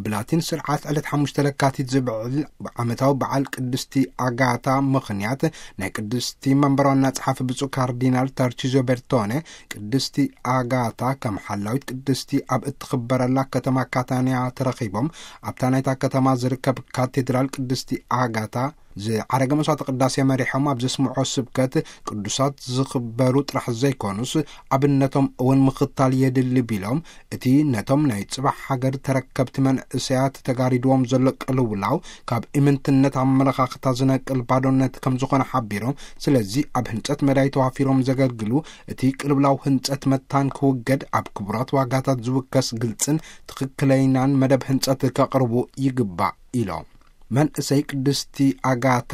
ብላቲን ስርዓት ዕለት ሓሙሽተ ለካቲት ዝብዕል ዓመታዊ በዓል ቅድስቲ ኣጋታ ምኽንያት፣ ናይ ቅድስቲ መንበራና ጸሓፊ ብፁዕ ካርዲናል ተርቺዞ ቤርቶነ፣ ቅድስቲ ኣጋታ ከም ሓላዊት ቅድስቲ ኣብ እትኽበረላ ከተማ ካታንያ ተረኺቦም፣ ኣብታ ናይታ ከተማ ዝርከብ ካቴድራል ቅድስቲ ኣጋታ ዝዓረገ መስዋዕተ ቅዳሴ መሪሖም ኣብ ዘስምዖ ስብከት፣ ቅዱሳት ዝኽበሩ ጥራሕ ዘይኮኑስ፣ ኣብነቶም እውን ምኽታል የድሊ ቢሎም፣ እቲ ነቶም ናይ ጽባሕ ሃገር ተረከብቲ መንእሰያት ተጋሪድዎም ዘሎ ቅልውላው፣ ካብ ኢምንትነት ኣመለኻኽታ ዝነቅል ባዶነት ከም ዝኾነ ሓቢሮም፣ ስለዚ ኣብ ህንጸት መዳይ ተዋፊሮም ዘገልግሉ፣ እቲ ቅልውላው ህንጸት መታን ክውገድ፣ ኣብ ክቡራት ዋጋታት ዝውከስ ግልጽን ትኽክለይናን መደብ ህንጸት ከቕርቡ ይግባእ ኢሎም። መንእሰይ ቅድስቲ ኣጋታ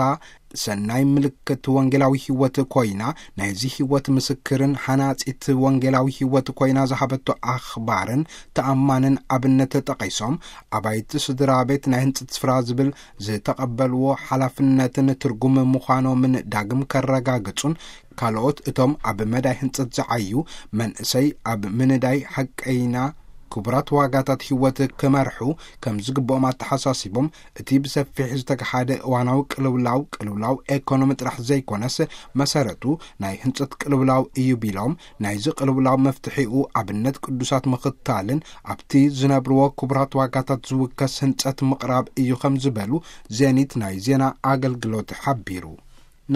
ሰናይ ምልክት ወንጌላዊ ሕይወት ኮይና፣ ናይዚ ሕይወት ምስክርን ሓናጺት ወንጌላዊ ሕይወት ኮይና ዝሃበቶ ኣኽባርን ተኣማንን ኣብነት ጠቒሶም፣ ኣባይቲ ስድራ ቤት ናይ ህንጽት ስፍራ ዝብል ዝተቐበልዎ ሓላፍነትን ትርጉም ምዃኖምን ዳግም ከረጋግጹን፣ ካልኦት እቶም ኣብ መዳይ ህንጸት ዝዓዩ መንእሰይ ኣብ ምንዳይ ሓቀይና ክቡራት ዋጋታት ሕይወት ክመርሑ ከም ዝግብኦም ኣተሓሳሲቦም፣ እቲ ብሰፊሕ ዝተገሓደ እዋናዊ ቅልውላው፣ ቅልውላው ኤኮኖሚ ጥራሕ ዘይኮነስ፣ መሰረቱ ናይ ህንጸት ቅልውላው እዩ ቢሎም፣ ናይዚ ቅልውላው መፍትሒኡ ኣብነት ቅዱሳት ምኽታልን ኣብቲ ዝነብርዎ ክቡራት ዋጋታት ዝውከስ ህንጸት ምቕራብ እዩ ከም ዝበሉ ዜኒት ናይ ዜና ኣገልግሎት ሓቢሩ።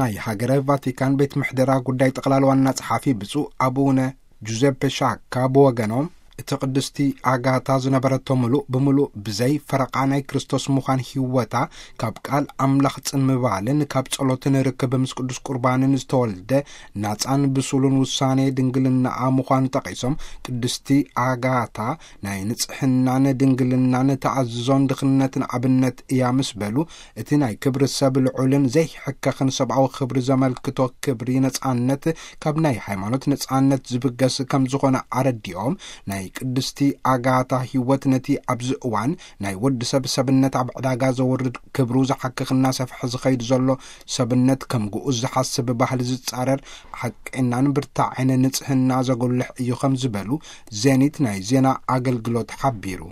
ናይ ሃገረ ቫቲካን ቤት ምሕደራ ጉዳይ ጠቕላላ ዋና ጸሓፊ ብፁዕ ኣቡነ ጁዘፔ ሻካ ብወገኖም፣ እቲ ቅድስቲ ኣጋታ ዝነበረቶ ምሉእ ብምሉእ ብዘይ ፈረቓ ናይ ክርስቶስ ምዃን ህይወታ፣ ካብ ቃል ኣምላኽ ጽን ምባልን ካብ ጸሎትን ርክብ ምስ ቅዱስ ቁርባንን ዝተወልደ ናጻን ብሱሉን ውሳኔ ድንግልናኣ ምዃኑ ጠቒሶም፣ ቅድስቲ ኣጋታ ናይ ንጽሕናን ድንግልናን ተኣዝዞን ድኽነትን ኣብነት እያ ምስ በሉ፣ እቲ ናይ ክብሪ ሰብ ልዑልን ዘይሕከኽን ሰብኣዊ ክብሪ ዘመልክቶ ክብሪ ነጻነት ካብ ናይ ሃይማኖት ነጻነት ዝብገስ ከም ዝኾነ ኣረዲኦም፣ ናይ ቅድስቲ ኣጋታ ህይወት ነቲ ኣብዚ እዋን ናይ ወዲ ሰብ ሰብነት ኣብ ዕዳጋ ዘወርድ ክብሩ ዝሓክኽ እናሰፍሐ ዝኸይድ ዘሎ ሰብነት ከም ግኡዝ ዝሓስብ ባህሊ ዝጻረር ሓቀኛን ብርታዐን ንጽህና ዘጉልሕ እዩ ከም ዝበሉ ዜኒት ናይ ዜና ኣገልግሎት ሓቢሩ።